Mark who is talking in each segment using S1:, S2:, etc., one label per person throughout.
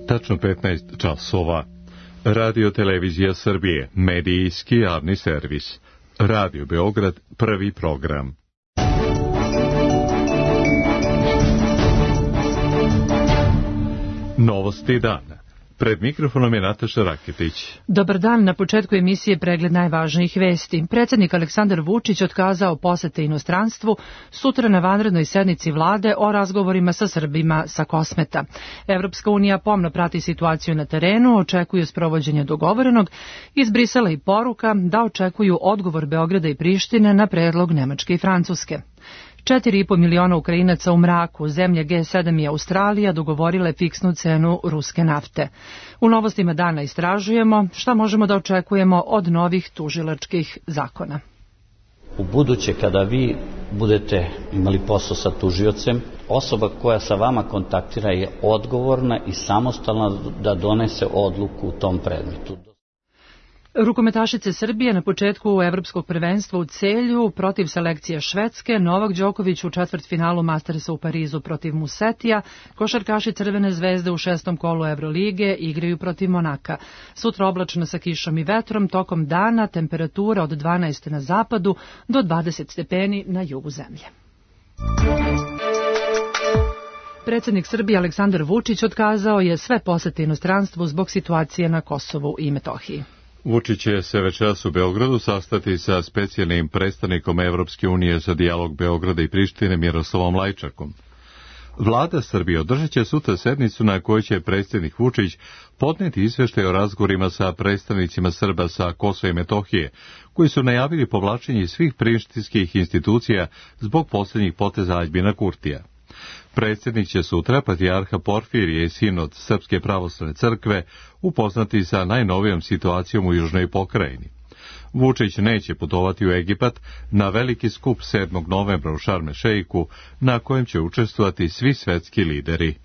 S1: Tačno 15 časova. Radio Televizija Srbije, medijski javni servis. Radio Beograd, prvi program. Novosti dana. Pred mikrofonom je Nataša Raketić.
S2: Dobar dan, na početku emisije pregled najvažnijih vesti. Predsjednik Aleksandar Vučić otkazao posete inostranstvu, sutra na vanrednoj sednici vlade o razgovorima sa Srbima sa Kosmeta. Evropska unija pomno prati situaciju na terenu, očekuju sprovođenje dogovorenog, iz Brisela i poruka da očekuju odgovor Beograda i Prištine na predlog Nemačke i Francuske. 4,5 miliona Ukrajinaca u mraku, zemlje G7 i Australija dogovorile fiksnu cenu ruske nafte. U novostima dana istražujemo šta možemo da očekujemo od novih tužilačkih zakona.
S3: U buduće kada vi budete imali posao sa tužiocem, osoba koja sa vama kontaktira je odgovorna i samostalna da donese odluku u tom predmetu.
S2: Rukometašice Srbije na početku evropskog prvenstva u Celju protiv selekcije Švedske, Novak Đoković u četvrtfinalu Mastersa u Parizu protiv Musetija, košarkaši Crvene zvezde u 6. kolu Evrolige igraju protiv Monaka. Sutra oblačno sa kišom i vetrom, tokom dana temperatura od 12 na zapadu do 20 stepeni na jugu zemlje. Predsjednik Srbije Aleksandar Vučić otkazao je sve posete inostranstvu zbog situacije na Kosovu i Metohiji.
S1: Vučić će se večeras u Beogradu sastati sa specijalnim predstavnikom Evropske unije za dijalog Beograda i Prištine Miroslavom Lajčakom. Vlada Srbije održat će sutra sednicu na kojoj će predsjednik Vučić podneti izveštaj o razgovorima sa predstavnicima Srba sa Kosova i Metohije, koji su najavili povlačenje svih prištinskih institucija zbog posljednjih poteza Aljbina Kurtija. Predsjednik će sutra patrijarha Porfirije i sinod Srpske pravoslavne crkve upoznati sa najnovijom situacijom u južnoj pokrajini. Vučić neće putovati u Egipat na veliki skup 7. novembra u Šarm el Šeiku, na kojem će učestvovati svi svetski lideri.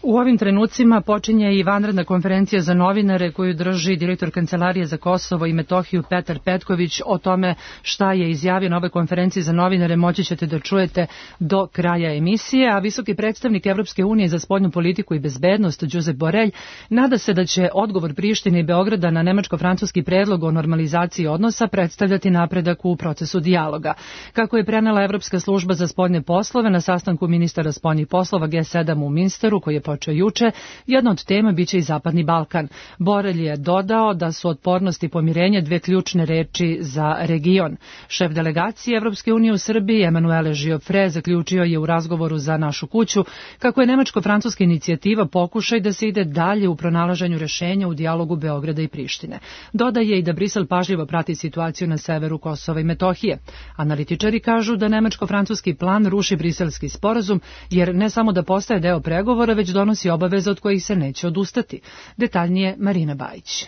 S2: U ovim trenucima počinje i vanredna konferencija za novinare koju drži direktor Kancelarije za Kosovo i Metohiju Petar Petković. O tome šta je izjavio na ovoj konferenciji za novinare moći ćete da čujete do kraja emisije, a visoki predstavnik Evropske unije za spoljnu politiku i bezbednost Josep Borrell nada se da će odgovor Prištine i Beograda na nemačko-francuski predlog o normalizaciji odnosa predstavljati napredak u procesu dijaloga. Kako je prenela Evropska služba za spoljne poslove na sastanku ministara spoljnih poslova G7 u Minsteru, koji je počeo juče, jedna od tema biće i Zapadni Balkan. Borrell je dodao da su otpornost i pomirenje dve ključne reči za region. Šef delegacije Evropske unije u Srbiji, Emanuele Giofre, zaključio je u razgovoru za Našu kuću kako je nemačko-francuska inicijativa pokušaj da se ide dalje u pronalaženju rešenja u dijalogu Beograda i Prištine. Dodaje i da Brisel pažljivo prati situaciju na severu Kosova i Metohije. Analitičari kažu da nemačko-francuski plan ruši briselski sporazum, jer ne samo da postaje deo pregovora, već donosi obaveze od kojih se neće odustati. Detaljnije Marina Bajić.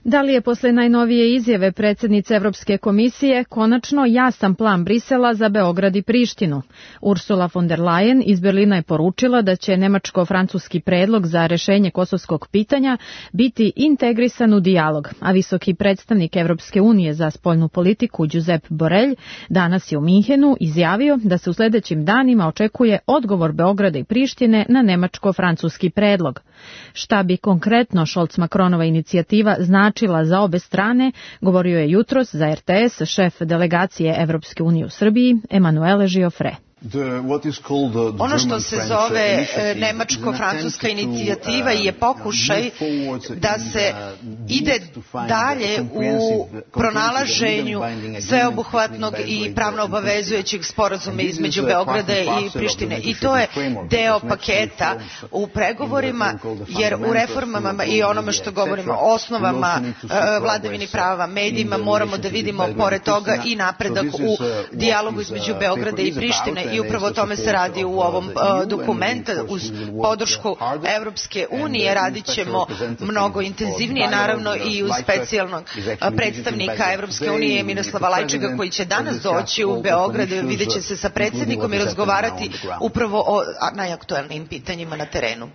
S4: Da li je posle najnovije izjave predsjednice Evropske komisije konačno jasan plan Brisela za Beograd i Prištinu? Ursula von der Leyen iz Berlina je poručila da će nemačko-francuski predlog za rešenje kosovskog pitanja biti integrisan u dijalog, a visoki predstavnik Evropske unije za spoljnu politiku Josep Borrell danas je u Minhenu izjavio da se u sljedećim danima očekuje odgovor Beograda i Prištine na nemačko-francuski predlog. Šta bi konkretno Scholz-Macronova inicijativa značila za obe strane, govorio je jutros za RTS šef delegacije Evropske unije u Srbiji, Emanuele Giofre.
S5: Ono što se zove nemačko-francuska inicijativa je pokušaj da se ide dalje u pronalaženju sveobuhvatnog i pravno obavezujućeg sporazuma između Beograda i Prištine. I to je deo paketa u pregovorima, jer u reformama i onome što govorimo o osnovama vladavini prava, medijima, moramo da vidimo pored toga i napredak u dijalogu između Beograda i Prištine. I upravo o tome se radi u ovom dokumentu. Uz podršku Evropske unije radit ćemo mnogo intenzivnije, naravno i uz specijalnog predstavnika Evropske unije Miroslava Lajčaka, koji će danas doći u Beograd, vidjet će se sa predsjednikom i razgovarati upravo o najaktuelnijim pitanjima na terenu.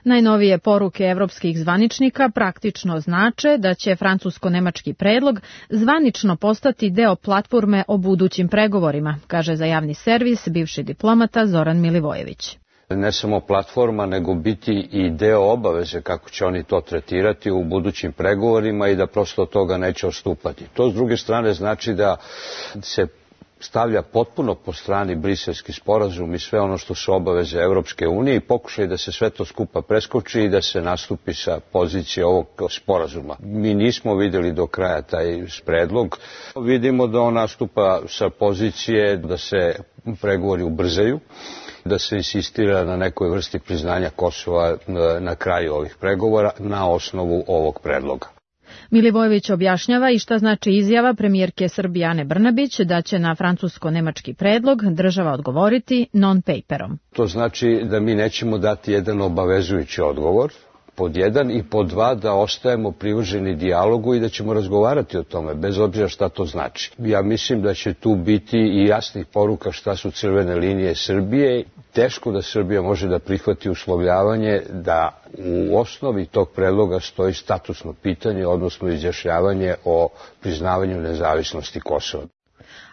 S4: Najnovije poruke evropskih zvaničnika praktično znače da će francusko-nemački predlog zvanično postati deo platforme o budućim pregovorima, kaže za javni servis bivši diplomata Zoran Milivojević.
S6: ne samo platforma, nego biti i deo obaveze kako će oni to tretirati u budućim pregovorima i da prosto od toga neće odstupati. To s druge strane znači da se stavlja potpuno po strani Briselski sporazum i sve ono što su obaveze Evropske unije i pokušaj da se sve to skupa preskoči i da se nastupi sa pozicije ovog sporazuma. Mi nismo vidjeli do kraja taj predlog. Vidimo da on nastupa sa pozicije da se pregovori ubrzaju, da se insistira na nekoj vrsti priznanja Kosova na kraju ovih pregovora na osnovu ovog predloga.
S4: Milivojević objašnjava i šta znači izjava premijerke Srbije Ane Brnabić da će na francusko-nemački predlog država odgovoriti non-paperom.
S6: To znači da mi nećemo dati jedan obavezujući odgovor, pod jedan, i pod dva da ostajemo privrženi dijalogu i da ćemo razgovarati o tome, bez obzira šta to znači. Ja mislim da će tu biti i jasnih poruka šta su crvene linije Srbije. Teško da Srbija može da prihvati uslovljavanje da u osnovi tog predloga stoji statusno pitanje, odnosno izjašnjavanje o priznavanju nezavisnosti Kosova.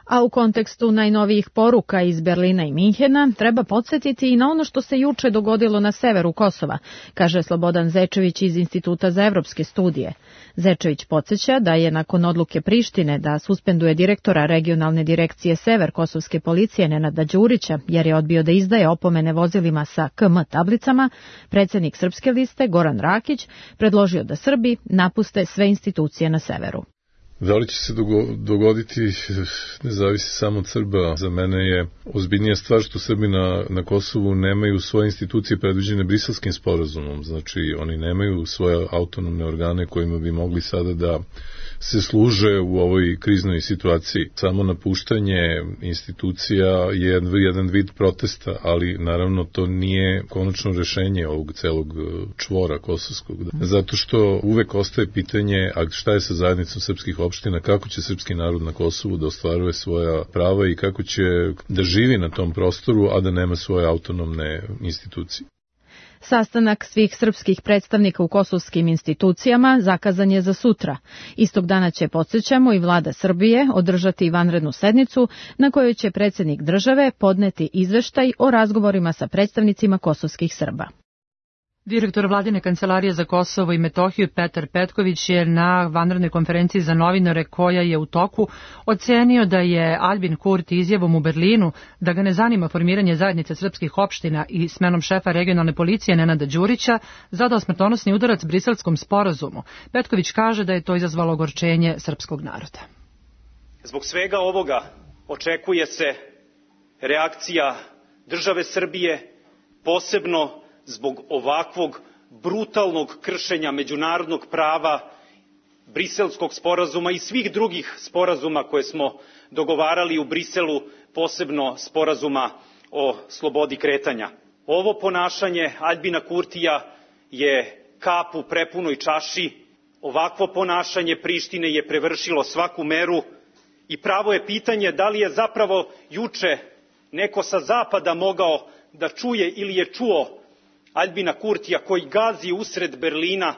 S4: A u kontekstu najnovijih poruka iz Berlina i Minhena treba podsjetiti i na ono što se juče dogodilo na severu Kosova, kaže Slobodan Zečević iz Instituta za evropske studije. Zečević podsjeća da je nakon odluke Prištine da suspenduje direktora regionalne direkcije Sever kosovske policije Nenada Đurića jer je odbio da izdaje opomene vozilima sa KM tablicama, predsjednik Srpske liste Goran Rakić predložio da Srbi napuste sve institucije na severu.
S7: Da li će se dogoditi, ne zavisi samo od Srba. Za mene je ozbiljnija stvar što Srbi na Kosovu nemaju svoje institucije predviđene Briselskim sporazumom. Znači, oni nemaju svoje autonomne organe kojima bi mogli sada da se služe u ovoj kriznoj situaciji. Samo napuštanje institucija je jedan vid protesta, ali naravno to nije konačno rešenje ovog celog čvora kosovskog. Zato što uvek ostaje pitanje, a šta je sa zajednicom srpskih opština, kako će srpski narod na Kosovu da ostvaruje svoja prava i kako će da živi na tom prostoru, a da nema svoje autonomne institucije.
S4: Sastanak svih srpskih predstavnika u kosovskim institucijama zakazan je za sutra. Istog dana će, podsjećamo, i vlada Srbije održati vanrednu sednicu na kojoj će predsjednik države podneti izveštaj o razgovorima sa predstavnicima kosovskih Srba.
S2: Direktor Vladine kancelarije za Kosovo i Metohiju Petar Petković je na vanrednoj konferenciji za novinare koja je u toku ocenio da je Aljbin Kurti izjavom u Berlinu da ga ne zanima formiranje zajednice srpskih opština i smenom šefa regionalne policije Nenada Đurića zadao smrtonosni udarac Briselskom sporazumu. Petković kaže da je to izazvalo ogorčenje srpskog naroda.
S8: Zbog svega ovoga očekuje se reakcija države Srbije, posebno zbog ovakvog brutalnog kršenja međunarodnog prava, Briselskog sporazuma i svih drugih sporazuma koje smo dogovarali u Briselu, posebno sporazuma o slobodi kretanja. Ovo ponašanje Aljbina Kurtija je kap u prepunoj čaši. Ovakvo ponašanje Prištine je prevršilo svaku meru i pravo je pitanje da li je zapravo juče neko sa zapada mogao da čuje ili je čuo Aljbina Kurtija koji gazi usred Berlina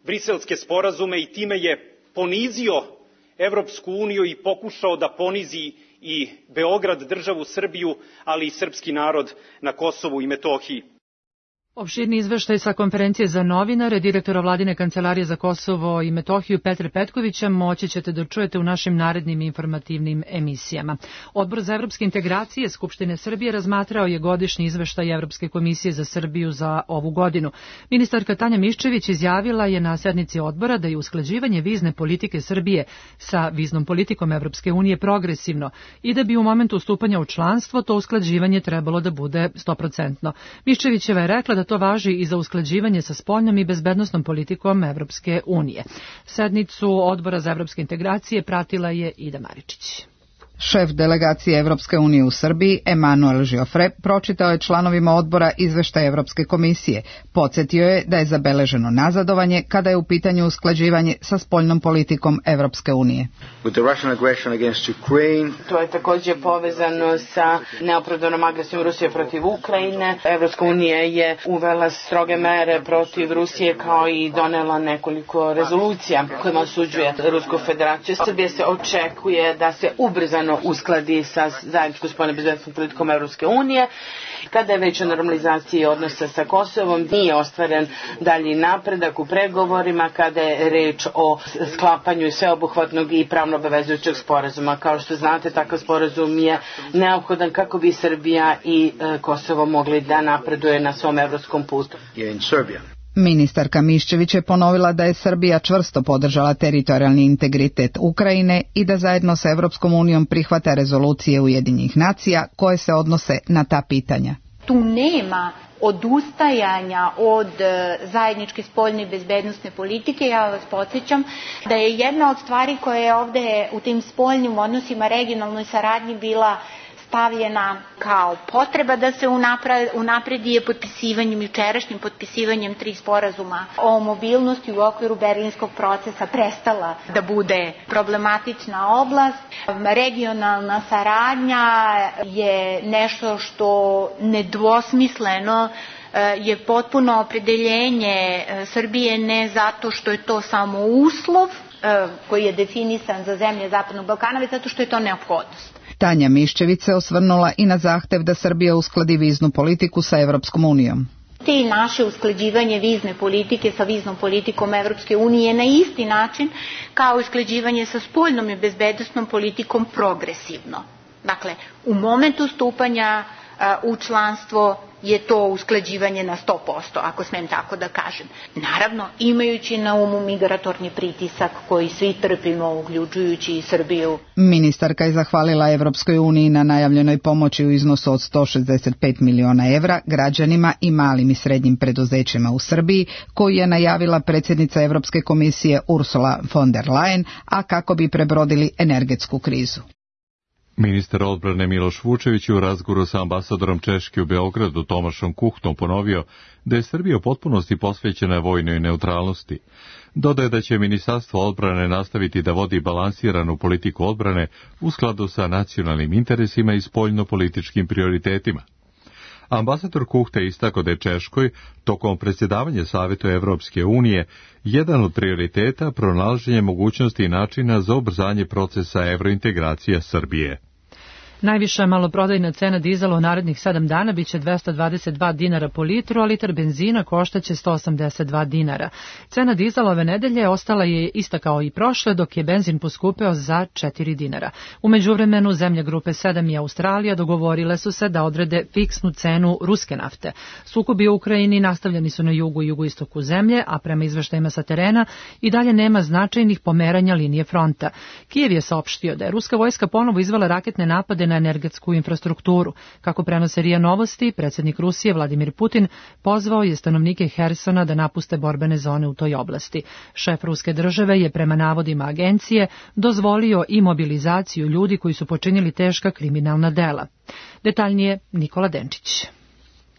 S8: briselske sporazume i time je ponizio Evropsku uniju i pokušao da ponizi i Beograd, državu Srbiju, ali i srpski narod na Kosovu i Metohiji.
S2: Opširni izveštaj sa konferencije za novinare direktora Vladine kancelarije za Kosovo i Metohiju Petra Petkovića moći ćete da čujete u našim narednim informativnim emisijama. Odbor za evropske integracije Skupštine Srbije razmatrao je godišnji izveštaj Evropske komisije za Srbiju za ovu godinu. Ministarka Tanja Miščević izjavila je na sednici odbora da je usklađivanje vizne politike Srbije sa viznom politikom Evropske unije progresivno i da bi u momentu stupanja u članstvo to usklađivanje trebalo da bude 100%. Miščevićeva je rekla da to važi i za usklađivanje sa spoljnom i bezbednosnom politikom Evropske unije. Sednicu Odbora za evropske integracije pratila je Ida Maričić.
S9: Šef delegacije Evropske unije u Srbiji, Emanuel Žiofre, pročitao je članovima odbora izveštaj Evropske komisije. Podsjetio je da je zabeleženo nazadovanje kada je u pitanju usklađivanje sa spoljnom politikom Evropske unije.
S10: To je također povezano sa neopravdanom agresijom Rusije protiv Ukrajine. Evropska unija je uvela stroge mere protiv Rusije kao i donela nekoliko rezolucija kojima osuđuje Rusku federaciju. Srbije se očekuje da se ubrzano ponovno uskladi sa zajedničkom spoljno-bezbednosnom politikom Evropske unije. Kada je već o normalizaciji odnosa sa Kosovom, nije ostvaren dalji napredak u pregovorima kada je reč o sklapanju sveobuhvatnog i pravno obavezujućeg sporazuma. Kao što znate, takav sporazum je neophodan kako bi Srbija i Kosovo mogli da napreduje na svom evropskom putu.
S9: Ministarka Miščević je ponovila da je Srbija čvrsto podržala teritorijalni integritet Ukrajine i da zajedno sa Evropskom unijom prihvata rezolucije Ujedinjenih nacija koje se odnose na ta pitanja.
S11: Tu nema odustajanja od zajedničke spoljne i bezbednosne politike. Ja vas podsjećam da je jedna od stvari koja je ovde u tim spoljnim odnosima regionalnoj saradnji bila stavljena kao potreba da se unapredi je potpisivanjem, jučerašnjim potpisivanjem 3 sporazuma o mobilnosti u okviru Berlinskog procesa prestala da bude problematična oblast. Regionalna saradnja je nešto što nedvosmisleno je potpuno opredeljenje Srbije, ne zato što je to samo uslov koji je definisan za zemlje Zapadnog Balkana, već zato što je to neophodnost.
S9: Tanja Miščević se osvrnula i na zahtev da Srbija uskladi viznu politiku sa Evropskom unijom.
S11: Te naše usklađivanje vizne politike sa viznom politikom Evropske unije na isti način kao usklađivanje sa spoljnom i bezbednosnom politikom progresivno. Dakle, u momentu stupanja u članstvo je to usklađivanje na 100%, ako smem tako da kažem. Naravno, imajući na umu migratorni pritisak koji svi trpimo, uključujući i Srbiju.
S9: Ministarka je zahvalila Evropskoj uniji na najavljenoj pomoći u iznosu od 165 miliona evra građanima i malim i srednjim preduzećima u Srbiji, koju je najavila predsjednica Evropske komisije Ursula von der Leyen, a kako bi prebrodili energetsku krizu.
S1: Ministar odbrane Miloš Vučević u razgovoru sa ambasadorom Češke u Beogradu Tomašom Kuhtom ponovio da je Srbija u potpunosti posvećena vojnoj neutralnosti. Dodaje da će Ministarstvo odbrane nastaviti da vodi balansiranu politiku odbrane u skladu sa nacionalnim interesima i spoljno-političkim prioritetima. Ambasador Kuhta istakao da je Češkoj, tokom predsjedavanja Savetu Evropske unije, jedan od prioriteta pronalaženje mogućnosti i načina za ubrzanje procesa evrointegracija Srbije.
S2: Najviša maloprodajna cena dizela u narednih 7 dana biće 222 dinara po litru, a litar benzina koštaće 182 dinara. Cena dizela ove nedelje ostala je ista kao i prošle, dok je benzin poskupeo za 4 dinara. U međuvremenu zemlje grupe 7 i Australija dogovorile su se da odrede fiksnu cenu ruske nafte. Sukobi u Ukrajini nastavljeni su na jugu i jugoistoku zemlje, a prema izveštajima sa terena i dalje nema značajnih pomeranja linije fronta. Kijev je saopštio da je ruska vojska ponovo izvela raketne napade na energetsku infrastrukturu. Kako prenose RIA Novosti, predsjednik Rusije Vladimir Putin pozvao je stanovnike Hersona da napuste borbene zone u toj oblasti. Šef ruske države je prema navodima agencije dozvolio i mobilizaciju ljudi koji su počinili teška kriminalna dela. Detaljnije Nikola Denčić.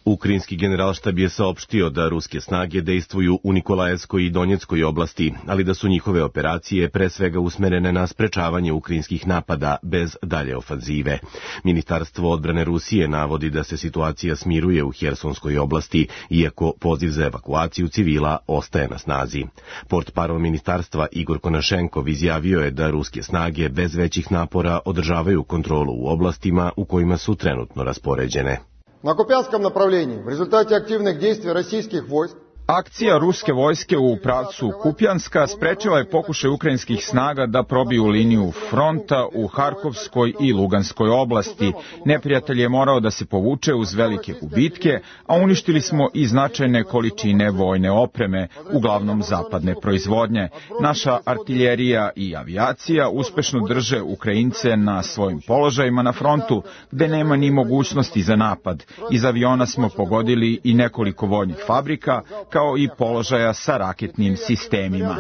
S12: Ukrajinski generalštab je saopštio da ruske snage dejstvuju u Nikolajevskoj i Donjeckoj oblasti, ali da su njihove operacije pre svega usmerene na sprečavanje ukrajinskih napada bez dalje ofanzive. Ministarstvo odbrane Rusije navodi da se situacija smiruje u Hersonskoj oblasti, iako poziv za evakuaciju civila ostaje na snazi. Portparol ministarstva Igor Konašenkov izjavio je da ruske snage bez većih napora održavaju kontrolu u oblastima u kojima su trenutno raspoređene.
S13: Na Kupianskom направлении в результате активных действий российских войск
S14: Akcija ruske vojske u pravcu Kupjanska sprečila je pokušaj ukrajinskih snaga da probiju liniju fronta u Harkovskoj i Luganskoj oblasti. Neprijatelj je morao da se povuče uz velike gubitke, a uništili smo i značajne količine vojne opreme, uglavnom zapadne proizvodnje. Naša artiljerija i avijacija uspešno drže Ukrajince na svojim položajima na frontu, gde nema ni mogućnosti za napad. Iz aviona smo pogodili i nekoliko vojnih fabrika, kao i položaja sa raketnim sistemima.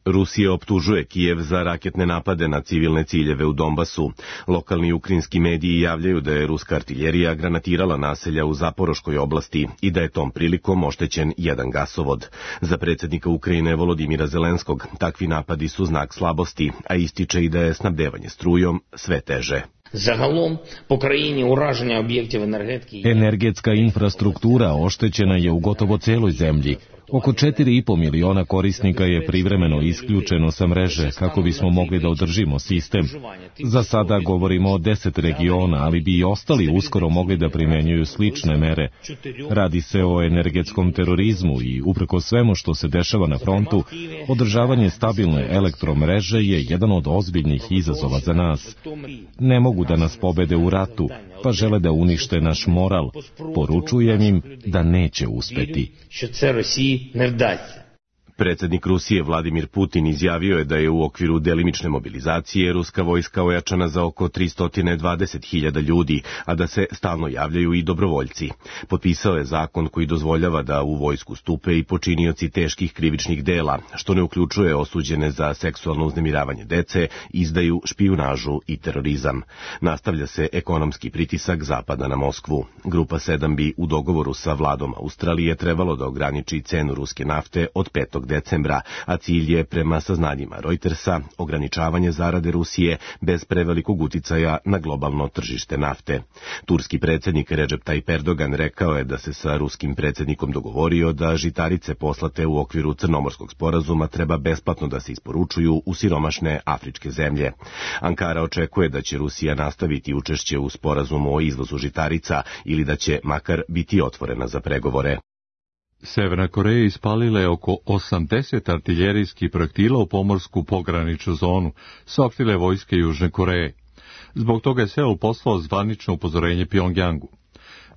S12: Rusija optužuje Kijev za raketne napade na civilne ciljeve u Donbasu. Lokalni ukrajinski mediji javljaju da je ruska artiljerija granatirala naselja u Zaporoškoj oblasti i da je tom prilikom oštećen jedan gasovod. Za predsjednika Ukrajine Volodimira Zelenskog takvi napadi su znak slabosti, a ističe i da je snabdevanje strujom sve teže.
S15: Energetska infrastruktura oštećena je u gotovo celoj zemlji. Oko 4,5 miliona korisnika je privremeno isključeno sa mreže kako bismo mogli da održimo sistem. Za sada govorimo o 10 regiona, ali bi i ostali uskoro mogli da primenjuju slične mere. Radi se o energetskom terorizmu i upreko svemu što se dešava na frontu, održavanje stabilne elektromreže je jedan od ozbiljnih izazova za nas. Ne mogu da nas pobede u ratu, pa žele da unište naš moral. Poručujem im da neće uspeti.
S12: Predsednik Rusije Vladimir Putin izjavio je da je u okviru delimične mobilizacije ruska vojska ojačana za oko 320.000 ljudi, a da se stalno javljaju i dobrovoljci. Potpisao je zakon koji dozvoljava da u vojsku stupe i počinioci teških krivičnih dela, što ne uključuje osuđene za seksualno uznemiravanje dece, izdaju, špijunažu i terorizam. Nastavlja se ekonomski pritisak Zapada na Moskvu. Grupa 7 bi u dogovoru sa vladom Australije trebalo da ograniči cenu ruske nafte od 5. decembra, a cilj je, prema saznanjima Reutersa, ograničavanje zarade Rusije bez prevelikog uticaja na globalno tržište nafte. Turski predsjednik Recep Tayyip Erdogan rekao je da se sa ruskim predsjednikom dogovorio da žitarice poslate u okviru Crnomorskog sporazuma treba besplatno da se isporučuju u siromašne afričke zemlje. Ankara očekuje da će Rusija nastaviti učešće u sporazumu o izvozu žitarica ili da će makar biti otvorena za pregovore.
S1: Severna Koreja ispalila je oko 80 artiljerijskih projektila u pomorsku pograničnu zonu, saopštile vojske Južne Koreje. Zbog toga je Seul poslao zvanično upozorenje Pjongjangu.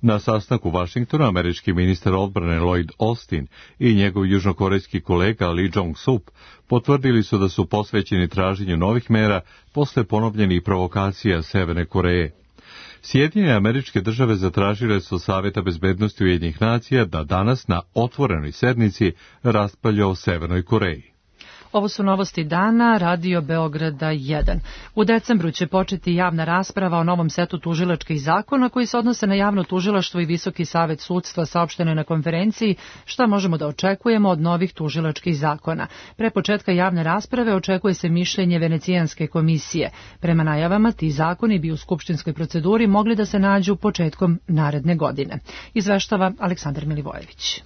S1: Na sastanku u Vašingtonu američki ministar odbrane Lloyd Austin i njegov južnokorejski kolega Lee Jong-sup potvrdili su da su posvećeni traženju novih mera posle ponovljenih provokacija Severne Koreje. Sjedinjene Američke Države zatražile su Saveta bezbednosti Ujedinjenih nacija da danas na otvorenoj sednici raspravlja o Severnoj Koreji.
S2: Ovo su novosti dana, Radio Beograda 1. U decembru će početi javna rasprava o novom setu tužilačkih zakona koji se odnose na javno tužilaštvo i Visoki savet sudstva, saopšteno je na konferenciji šta možemo da očekujemo od novih tužilačkih zakona. Pre početka javne rasprave očekuje se mišljenje Venecijanske komisije. Prema najavama, ti zakoni bi u skupštinskoj proceduri mogli da se nađu početkom naredne godine. Izveštava Aleksandar Milivojević.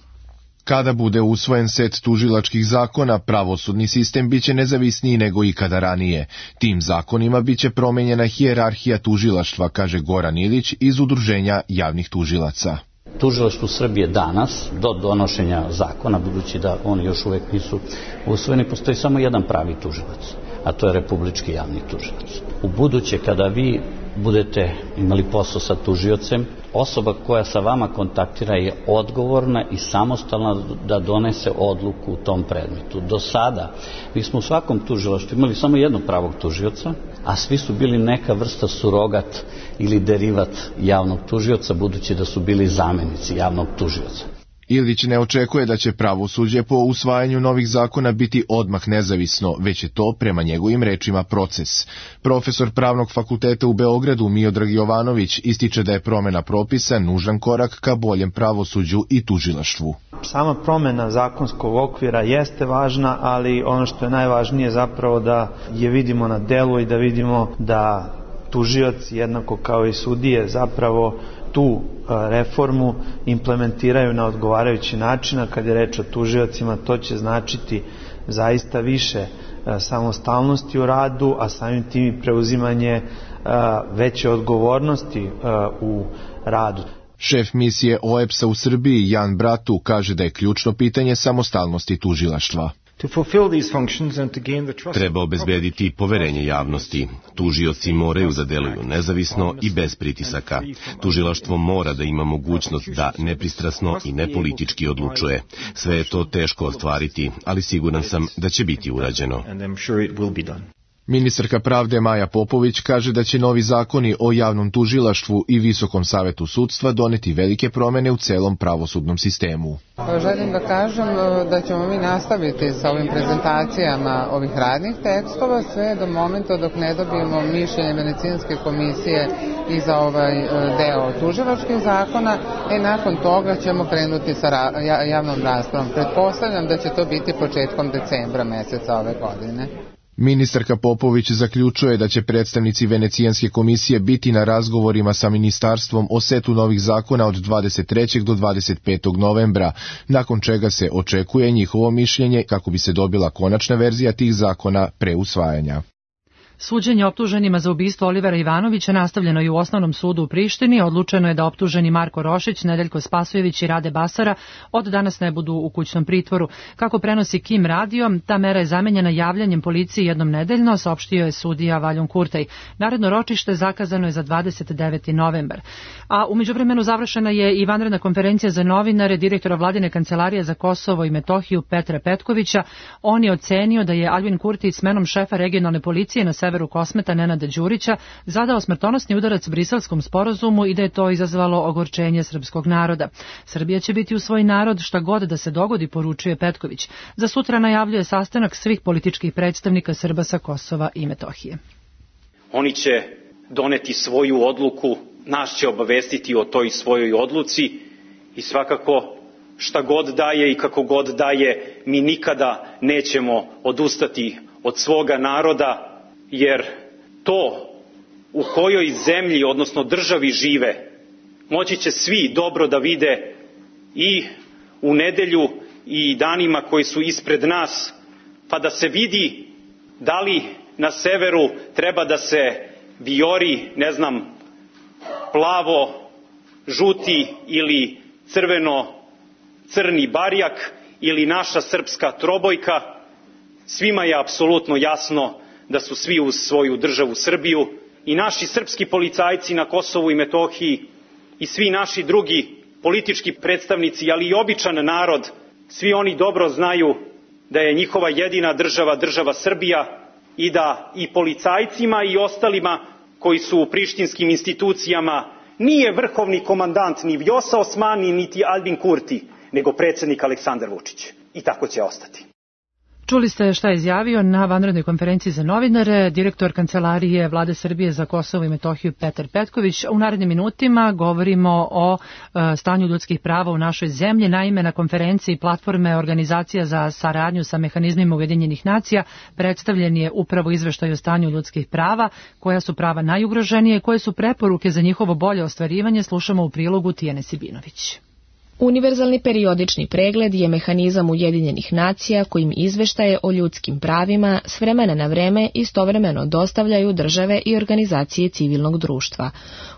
S16: Kada bude usvojen set tužilačkih zakona, pravosudni sistem biće nezavisniji nego ikada ranije. Tim zakonima biće promenjena hijerarhija tužilaštva, kaže Goran Ilić iz Udruženja javnih tužilaca.
S3: Tužilaštvu Srbije danas, do donošenja zakona, budući da oni još uvek nisu usvojeni, postoji samo jedan pravi tužilac, a to je Republički javni tužilac. U buduće, kada vi budete imali posao sa tužiocem, osoba koja sa vama kontaktira je odgovorna i samostalna da donese odluku u tom predmetu. Do sada mi smo u svakom tužilaštvu imali samo jednog pravog tužioca, a svi su bili neka vrsta surogat ili derivat javnog tužioca, budući da su bili zamenici javnog tužioca.
S16: Ilić ne očekuje da će pravosuđe po usvajanju novih zakona biti odmah nezavisno, već je to, prema njegovim rečima, proces. Profesor Pravnog fakulteta u Beogradu Miodrag Jovanović ističe da je promena propisa nužan korak ka boljem pravosuđu i tužilaštvu.
S17: Sama promena zakonskog okvira jeste važna, ali ono što je najvažnije zapravo da je vidimo na delu i da vidimo da tužioci, jednako kao i sudije, zapravo tu reformu implementiraju na odgovarajući način, a kad je reč o tužiocima, to će značiti zaista više samostalnosti u radu, a samim tim i preuzimanje veće odgovornosti u radu.
S16: Šef misije OEBS-a u Srbiji Jan Bratu kaže da je ključno pitanje samostalnosti tužilaštva.
S12: Treba obezbediti poverenje javnosti. Tužioci moraju da deluju nezavisno i bez pritisaka. Tužilaštvo mora da ima mogućnost da nepristrasno i nepolitički odlučuje. Sve je to teško ostvariti, ali siguran sam da će biti urađeno.
S16: Ministarka pravde Maja Popović kaže da će novi zakoni o javnom tužilaštvu i Visokom savetu sudstva doneti velike promene u celom pravosudnom sistemu.
S18: Želim da kažem da ćemo mi nastaviti sa ovim prezentacijama ovih radnih tekstova sve do momenta dok ne dobijemo mišljenje Venecijanske komisije i za ovaj deo tužilačkih zakona, i nakon toga ćemo krenuti sa javnom raspravom. Pretpostavljam da će to biti početkom decembra meseca ove godine.
S16: Ministarka Popović zaključuje da će predstavnici Venecijanske komisije biti na razgovorima sa ministarstvom o setu novih zakona od 23. do 25. novembra, nakon čega se očekuje njihovo mišljenje kako bi se dobila konačna verzija tih zakona pre usvajanja.
S2: Suđenje optuženima za ubistvo Olivera Ivanovića nastavljeno je u Osnovnom sudu u Prištini. Odlučeno je da optuženi Marko Rošić, Nedeljko Spasojević i Rade Basara od danas ne budu u kućnom pritvoru. Kako prenosi Kim radio, ta mera je zamenjena javljanjem policiji jednom nedeljno, saopštio je sudija Valjun Kurtaj. Naredno ročište zakazano je za 29. novembar. A u međuvremenu završena je i vanredna konferencija za novinare direktora Vladine kancelarije za Kosovo i Metohiju Petra Petkovića. On je ocenio da je Aljbin Kurti smenom šefa regionalne policije na severu Kosmeta Nenada Đurića zadao smrtonosni udarac Briselskom sporazumu i da je to izazvalo ogorčenje srpskog naroda. Srbija će biti u svoj narod šta god da se dogodi, poručuje Petković. Za sutra najavljuje sastanak svih političkih predstavnika Srba sa Kosova i Metohije.
S8: Oni će doneti svoju odluku, nas će obavestiti o toj svojoj odluci i svakako šta god daje i kako god daje, mi nikada nećemo odustati od svoga naroda, jer to u kojoj zemlji, odnosno državi žive, moći će svi dobro da vide i u nedelju i danima koji su ispred nas, pa da se vidi da li na severu treba da se vijori, plavo, žuti ili crveno-crni barjak ili naša srpska trobojka. Svima je apsolutno jasno da su svi uz svoju državu Srbiju i naši srpski policajci na Kosovu i Metohiji i svi naši drugi politički predstavnici, ali i običan narod, svi oni dobro znaju da je njihova jedina država država Srbija i da i policajcima i ostalima koji su u prištinskim institucijama nije vrhovni komandant ni Vjosa Osmani niti Aljbin Kurti, nego predsjednik Aleksandar Vučić. I tako će ostati.
S2: Čuli ste šta je izjavio na vanrednoj konferenciji za novinare direktor Kancelarije Vlade Srbije za Kosovo i Metohiju Petar Petković. U narednim minutima govorimo o stanju ljudskih prava u našoj zemlji. Naime, na konferenciji platforme Organizacija za saradnju sa mehanizmima Ujedinjenih nacija predstavljen je upravo izveštaj o stanju ljudskih prava, koja su prava najugroženije, koje su preporuke za njihovo bolje ostvarivanje. Slušamo u prilogu Tijane Sibinović.
S19: Univerzalni periodični pregled je mehanizam Ujedinjenih nacija kojim izveštaje o ljudskim pravima s vremena na vreme istovremeno dostavljaju države i organizacije civilnog društva.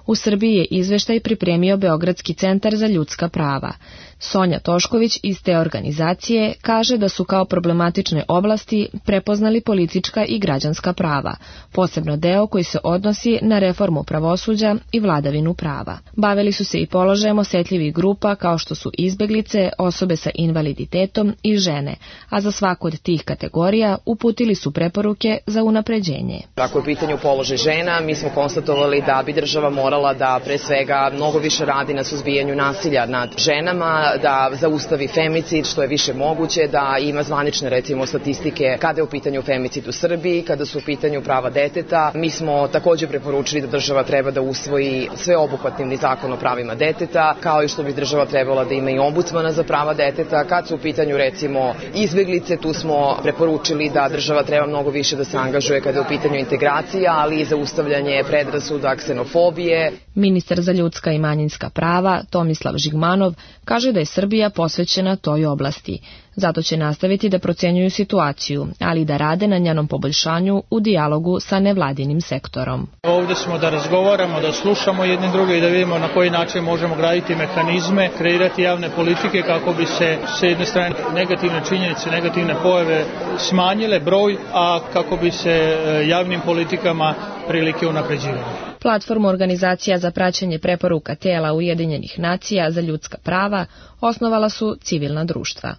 S19: U Srbiji je izveštaj pripremio Beogradski centar za ljudska prava. Sonja Tošković iz te organizacije kaže da su kao problematične oblasti prepoznali politička i građanska prava, posebno deo koji se odnosi na reformu pravosuđa i vladavinu prava. Bavili su se i položajem osetljivih grupa kao što su izbeglice, osobe sa invaliditetom i žene, a za svaku od tih kategorija uputili su preporuke za unapređenje.
S20: Ako je u pitanju položaj žena, mi smo konstatovali da bi država morala da pre svega mnogo više radi na suzbijanju nasilja nad ženama, da zaustavi femicid što je više moguće, da ima zvanične recimo statistike kada je u pitanju femicid u Srbiji, kada su u pitanju prava deteta. Mi smo također preporučili da država treba da usvoji sveobuhvatni zakon o pravima deteta, kao i što bi država trebala da ima i ombudsmana za prava deteta. Kad su u pitanju recimo izbeglice, tu smo preporučili da država treba mnogo više da se angažuje kada je u pitanju integracija, ali i zaustavljanje predrasuda, ksenofobije.
S19: Ministar za ljudska i manjinska prava Tomislav Žigmanov kaže da je Srbija posvećena toj oblasti. Zato će nastaviti da procenjuju situaciju, ali i da rade na njenom poboljšanju u dijalogu sa nevladinim sektorom.
S21: Ovdje smo da razgovaramo, da slušamo jedni druge i da vidimo na koji način možemo graditi mehanizme, kreirati javne politike kako bi se s jedne strane negativne činjenice, negativne pojave smanjile broj, a kako bi se javnim politikama prilike unapređivale.
S19: Platformu Organizacija za praćenje preporuka tijela Ujedinjenih nacija za ljudska prava osnovala su civilna društva.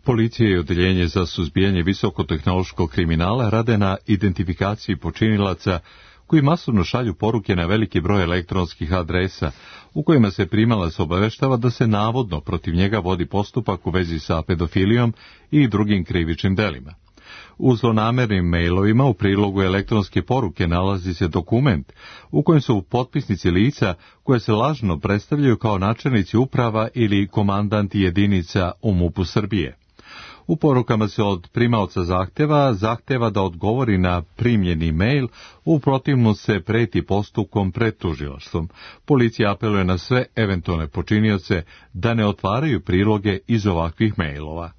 S1: Policija i Odeljenje za suzbijanje visokotehnološkog kriminala rade na identifikaciji počinilaca koji masovno šalju poruke na veliki broj elektronskih adresa u kojima se primalac obaveštava da se navodno protiv njega vodi postupak u vezi sa pedofilijom i drugim krivičnim delima. U zlonamernim mailovima u prilogu elektronske poruke nalazi se dokument u kojem su potpisnici lica koje se lažno predstavljaju kao načelnici uprava ili komandanti jedinica u MUP-u Srbije. U porukama se od primaoca zahteva da odgovori na primljeni mail, u protivnom se preti postupkom pred tužilaštvom. Policija apeluje na sve eventualne počinioce da ne otvaraju priloge iz ovakvih mailova.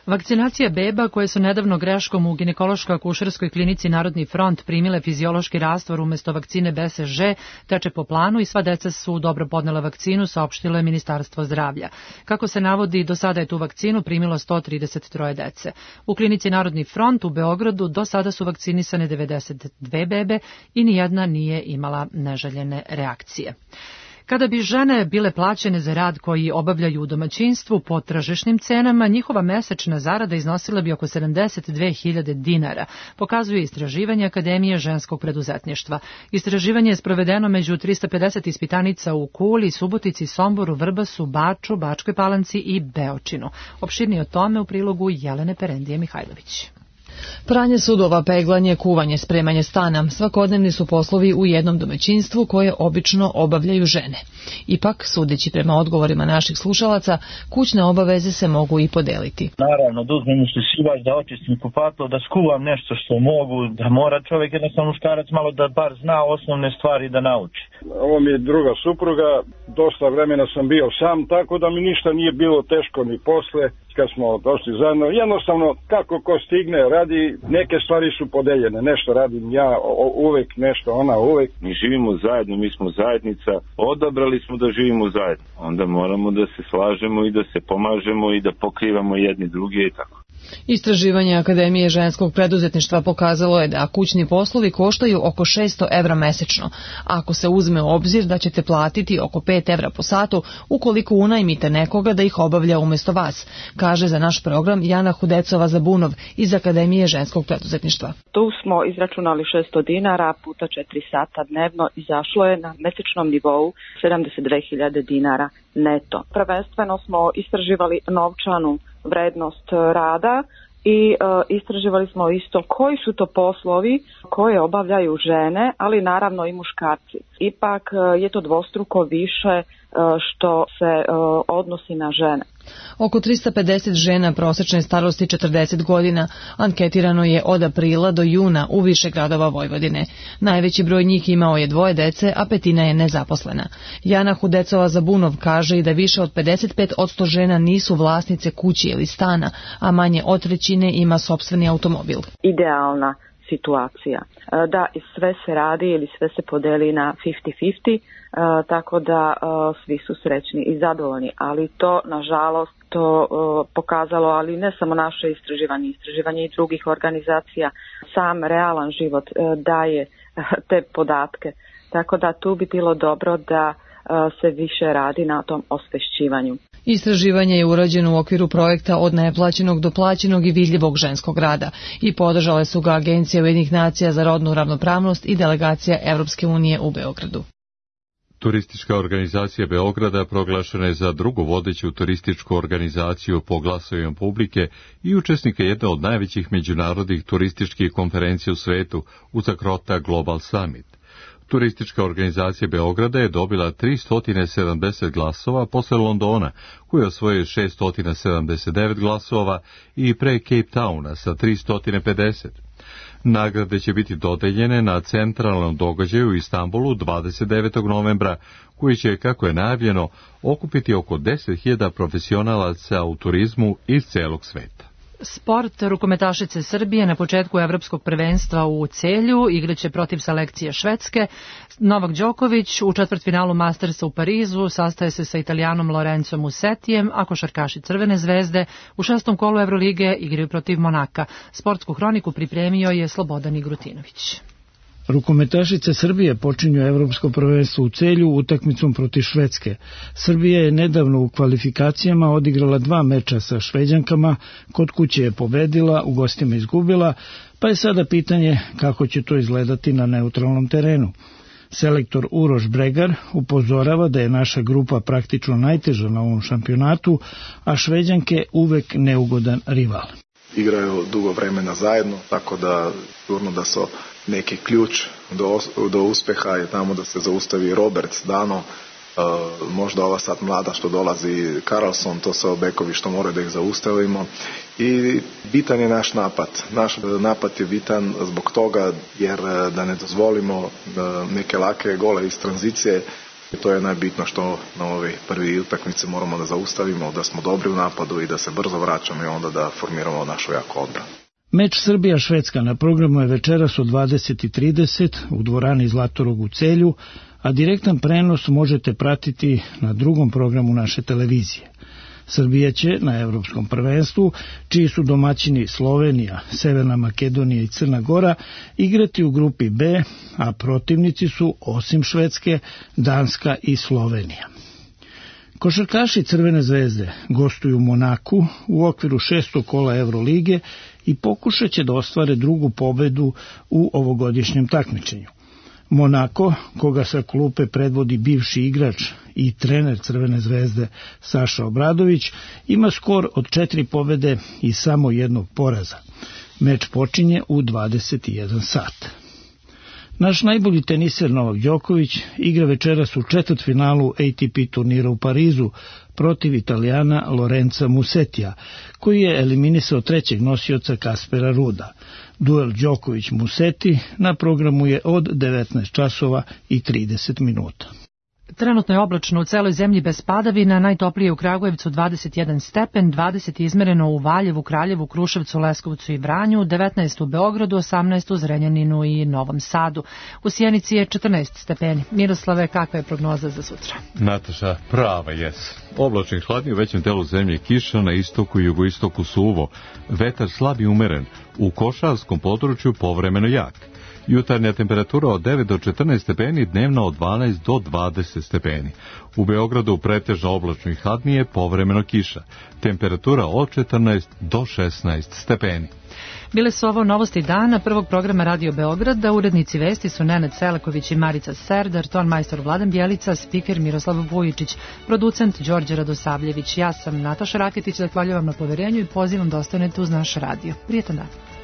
S2: Vakcinacija beba koje su nedavno greškom u ginekološko-akušerskoj klinici Narodni front primile fiziološki rastvor umesto vakcine BCG teče po planu i sva deca su dobro podnela vakcinu, saopštilo je Ministarstvo zdravlja. Kako se navodi, do sada je tu vakcinu primilo 133 dece. U klinici Narodni front u Beogradu do sada su vakcinisane 92 bebe i nijedna nije imala neželjene reakcije. Kada bi žene bile plaćene za rad koji obavljaju u domaćinstvu po tržišnim cenama, njihova mesečna zarada iznosila bi oko 72.000 dinara, pokazuje istraživanje Akademije ženskog preduzetništva. Istraživanje je sprovedeno među 350 ispitanica u Kuli, Subotici, Somboru, Vrbasu, Baču, Bačkoj Palanci i Beočinu. Opširnije o tome u prilogu Jelene Perendije Mihajlović.
S5: Pranje sudova, peglanje, kuvanje, spremanje stana, svakodnevni su poslovi u jednom domaćinstvu koje obično obavljaju žene. Ipak, sudeći prema odgovorima naših slušalaca, kućne obaveze se mogu i podeliti.
S22: Naravno, da uzmem usisivač, da očistim kupatilo, da skuvam nešto što mogu, da mora čovjek jednostavno muškarac malo da bar zna osnovne stvari da nauči.
S23: Ovo mi je druga supruga, dosta vremena sam bio sam, tako da mi ništa nije bilo teško ni posle. Kad smo došli zajedno, jednostavno kako ko stigne radi, neke stvari su podeljene, nešto radim ja uvek, nešto ona uvek.
S24: Mi živimo zajedno, mi smo zajednica, odabrali smo da živimo zajedno, onda moramo da se slažemo i da se pomažemo i da pokrivamo jedni druge i tako.
S5: Istraživanje Akademije ženskog preduzetništva pokazalo je da kućni poslovi koštaju oko 600 evra mesečno, ako se uzme u obzir da ćete platiti oko 5 evra po satu ukoliko unajmite nekoga da ih obavlja umesto vas, kaže za naš program Jana Hudecova-Zabunov iz Akademije ženskog preduzetništva.
S25: Tu smo izračunali 600 dinara puta 4 sata dnevno, izašlo je na mesečnom nivou 72.000 dinara neto. Prvenstveno smo istraživali novčanu vrednost rada i istraživali smo isto koji su to poslovi koje obavljaju žene, ali naravno i muškarci. Ipak je to dvostruko više što se odnosi na žene.
S5: Oko 350 žena prosečne starosti 40 godina anketirano je od aprila do juna u više gradova Vojvodine. Najveći broj njih imao je 2 dece, a 1/5 je nezaposlena. Jana Hudecova-Zabunov kaže i da više od 55% žena nisu vlasnice kuće ili stana, a manje od 1/3 ima sopstveni automobil.
S25: Idealna situacija. Da, sve se radi ili sve se podeli na 50-50, tako da svi su srećni i zadovoljni, ali to, nažalost, to pokazalo, ali ne samo naše istraživanje i drugih organizacija, sam realan život daje te podatke, tako da tu bi bilo dobro da se više radi na tom osvešćivanju.
S5: Istraživanje je urađeno u okviru projekta od neplaćenog do plaćenog i vidljivog ženskog rada i podržale su ga Agencija Ujedinjenih nacija za rodnu ravnopravnost i delegacija Evropske unije u Beogradu.
S1: Turistička organizacija Beograda proglašena je za drugu vodeću turističku organizaciju po glasovima publike i učesnika jedne od najvećih međunarodnih turističkih konferencija u svetu, Uzakrota Global Summit. Turistička organizacija Beograda je dobila 370 glasova posle Londona, koji je osvojio 679 glasova, i pre Cape Towna sa 350. Nagrade će biti dodeljene na centralnom događaju u Istanbulu 29. novembra, koji će, kako je najavljeno, okupiti oko 10.000 profesionalaca u turizmu iz celog sveta.
S2: Sport, rukometašice Srbije na početku evropskog prvenstva u Celju igraće protiv selekcije Švedske. Novak Đoković u četvrtfinalu Mastersa u Parizu sastaje se sa Italijanom Lorenzom Musetijem, a košarkaši Crvene zvezde u 6. kolu Evrolige igraju protiv Monaka. Sportsku hroniku pripremio je Slobodan Igrutinović.
S26: Rukometašice Srbije počinju evropsko prvenstvo u Celju utakmicom protiv Švedske. Srbija je nedavno u kvalifikacijama odigrala 2 meča sa Šveđankama, kod kuće je pobedila, u gostima izgubila, pa je sada pitanje kako će to izgledati na neutralnom terenu. Selektor Uroš Bregar upozorava da je naša grupa praktično najteža na ovom šampionatu, a Šveđanke uvek neugodan rival.
S27: Igraju dugo vremena zajedno, tako da sigurno da su neki ključ do uspeha je tamo da se zaustavi Roberts, Dano, možda ova sad mlada što dolazi, Karlsson, to su bekovi što moraju da ih zaustavimo. I bitan je naš napad. Naš napad je bitan zbog toga jer da ne dozvolimo neke lake gole iz tranzicije. To je najbitno što na ovoj prvi utakmici moramo da zaustavimo, da smo dobri u napadu i da se brzo vraćamo i onda da formiramo našu jaku odbranu.
S26: Meč Srbija-Švedska na programu je večeras od 20:30 u dvorani Zlatorog u Celju, a direktan prenos možete pratiti na drugom programu naše televizije. Srbija će na Evropskom prvenstvu, čiji su domaćini Slovenija, Severna Makedonija i Crna Gora, igrati u grupi B, a protivnici su, osim Švedske, Danska i Slovenija. Košarkaši Crvene zvezde gostuju u Monaku u okviru 6. kola Evrolige i pokušat će da ostvare drugu pobedu u ovogodišnjem takmičenju. Monako, koga sa klupe predvodi bivši igrač i trener Crvene zvezde Saša Obradović, ima skor od 4 pobede i samo 1 poraza. Meč počinje u 21 sat. Naš najbolji teniser Novak Đoković igra večeras u četvrtfinalu ATP turnira u Parizu protiv Italijana Lorenza Musetija, koji je eliminisao trećeg nosioca Kaspera Ruda. Duel Đoković-Museti na programu je od 19 časova i 30 minuta.
S2: Trenutno je oblačno u celoj zemlji bez padavina, najtoplije u Kragujevcu 21 stepen, 20 izmereno u Valjevu, Kraljevu, Kruševcu, Leskovcu i Vranju, 19 u Beogradu, 18 u Zrenjaninu i Novom Sadu. U Sjenici je 14 stepeni. Miroslave, kakva je prognoza za sutra?
S1: Nataša, prava jes. Oblačnih hladnije u većem delu zemlje, kiša, na istoku i jugoistoku suvo. Vetar slab i umeren, u košarskom području povremeno jak. Jutarnja temperatura od 9 do 14 stepeni, dnevna od 12 do 20 stepeni. U Beogradu pretežno oblačno i hladnije, povremeno kiša. Temperatura od 14 do 16 stepeni.
S2: Bile su ovo novosti dana prvog programa Radio Beograda. Urednici vesti su Nenad Selaković i Marica Serdar, ton majstor Vladan Bjelica, spiker Miroslav Vujičić, producent Đorđe Radosavljević. Ja sam Nataša Raketić, zahvaljujem na poverenju i pozivam da ostanete uz naš radio. Prijetan dan.